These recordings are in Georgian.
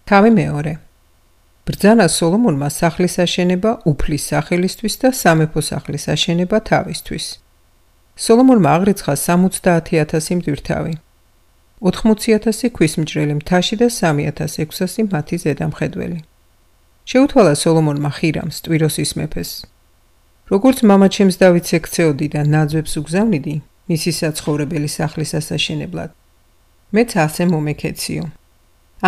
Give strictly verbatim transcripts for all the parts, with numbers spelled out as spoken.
თავი მეორე. ბრძანა სოლომონმა სახლის აშენება უფლის სახელისთვის და სამეფო სახლის აშენება თავისთვის. სოლომონმა აღრიცხა სამოცდაათი ათასი მტვირთავი, ოთხმოცი ათასი ქვისმჭრელი მთაში და სამი ათას ექვსასი მათი ზედამხედველი. შეუთვალა სოლომონმა ხირამს, ტვიროსის მეფეს. როგორც მამაჩემს დავითს ექცეოდი და ნაძვებს უგზავნიდი, მისი საცხოვრებელი სახლის ასაშენებლად. მეც ასე მომექეციო.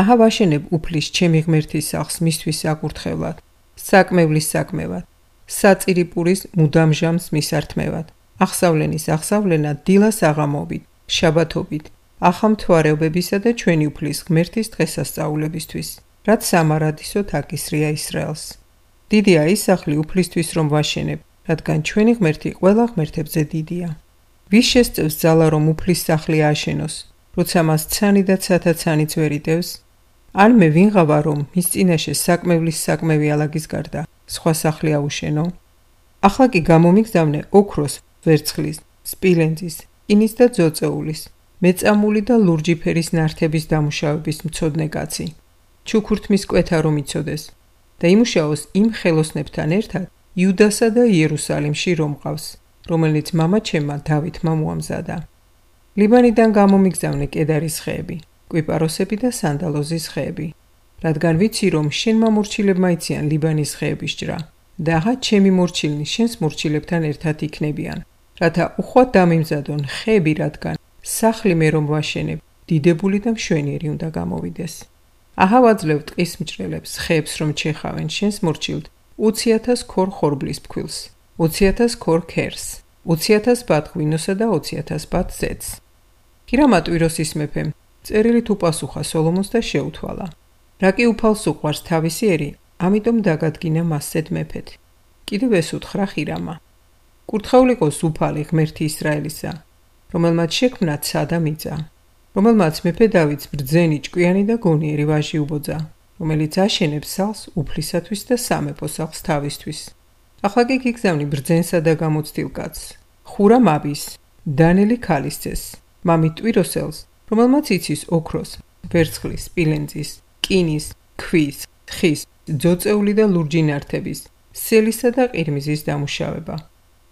აჰა ვაშენებ უფლის ჩემი ღმერთის სახლს მისთვის საკურთხევლად, საკმევლის საკმევად, საწირი პურის მუდამჟამს მისართმევად, აღსავლენის აღსავლენა დილას აღამობით, შაბათობით, ახალმთვარეობებისა და ჩვენი უფლის ღმერთის დღესასწაულებისთვის, რაც სამარადისოდ აკისრია ისრაელს. დიდია ის სახლი უფლისთვის რომ ვაშენებ, რადგან ჩვენი ღმერთი ყველა ღმერთებზე დიდია. ვის შესწევს ძალა რომ უფლის სახლი ააშენოს, როცა მას ცანი და ცათა ცანიც ვერ იტევს? ან მე ვინღავა რომ მის წინაშე საკმევლის საკმევი ალაგის გარდა სხვა სახლი აუშენო? ახლა კი გამომიგზავნე ოქროს, ვერცხლის, სპილენძის, რკინის და ძოწეულის, მეწამული და ლურჯი ფერის ნართების დამუშავების მცოდნე კაცი, ჩუქურთმის კვეთა რომ იცოდეს და იმუშაოს იმ ხელოსნებთან ერთად იუდასა და იერუსალიმში რომ მყავს, რომელიც მამაჩემმა დავითმა მოამზადა. ლიბანიდან გამომიგზავნე კედარის ხეები, კვიპაროსები და სანდალოზის ხეები, რადგან ვიცი რომ შენ მამორჩილებმა იციან ლიბანის ხეების ჭრა და აღა ჩემი მორჩილნი შენს მორჩილებთან ერთად იქნებიან, რათა უხვად დამიმზადონ ხეები, რადგან სახლი მე რომ ვაშენებ, დიდებული და მშვენიერი უნდა გამოვიდეს. აჰა ვაძლევ ტყის მჭრელებს ხეებს რომ ჩეხავენ შენს მორჩილთ ოცი ათას ქორ ხორბლის ფქვილს, ოცი ათას ქორ ქერს, ოცი ათას ბად ღვინოსა და ოცი ათას ბად ზეთს. ჰირამა ტვიროსის მეფემ წერილით უპასუხა სოლომონს და შეუთვალა. რა კი უფალს უყვარს თავისი ერი, ამიტომ დაგადგინა მასზედ მეფეთ. კიდევ ეს უთხრა ჰირამა. კურთხეულიყოს უფალი ღმერთი ისრაელისა, რომელმაც შექმნა ცა და მიწა, რომელმაც მეფე დავითს ბრძენი ჭკვიანი და გონიერი ვაჟი უბოძა, რომელიც აშენებს სახლს უფლისათვის და სამეფო სახლს თავისთვის. ახლა კი გიგზავნი ბრძენსა და გამოცდილ კაცს, ხურამ აბის, დანელი ქალისცეს, მამი ტვიროსელს, რომელმაც იცის ოქროს, ვერცხლის, სპილენძის, რკინის, ქვის, ხის, ძოწეული და ლურჯი ნართების, სელისა და ყირმიზის დამუშავება,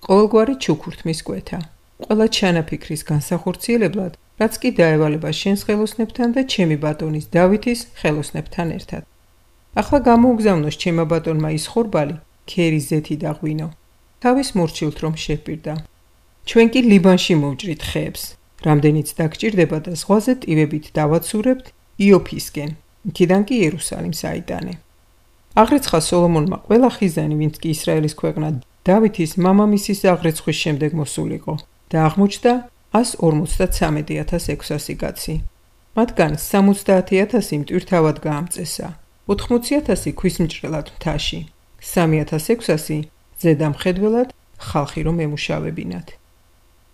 ყოველგვარი ჩუქურთმის კვეთა, ყველა ჩანაფიქრის განსახორციელებლად, რაც კი დაევალება შენს ხელოსნებთან და ჩემი ბატონის დავითის ხელოსნებთან ერთად. ახლა გამოუგზავნოს ჩემმა ბატონმა ის ხორბალი, ქერის ზეთი და ღვინო, თავის მორჩილთ რომ შეჰპირდა. ჩვენ კი ლიბანში მოვჭრით ხეებს, რამდენიც დაგჭირდება და ზღვაზე ტივებით დავაცურებთ იოფისკენ, იქიდან კი იერუსალიმს აიტანე. აღრიცხა სოლომონმა ყველა ხიზანი, ვინც კი ისრაელის ქვეყნა დავითის მამამისის აღრიცხვის შემდეგ მოსულიყო და აღმოჩნდა ას ორმოცდათვრამეტი ათას ექვსასი კაცი. მათგან სამოცდაათი ათასი მტვირთავად გაამწესა, ოთხმოცი ათასი ქვისმჭრელად მთაში, სამი ათას ექვსასი ზედამხედველად ხალხი რომ ემუშავებინათ.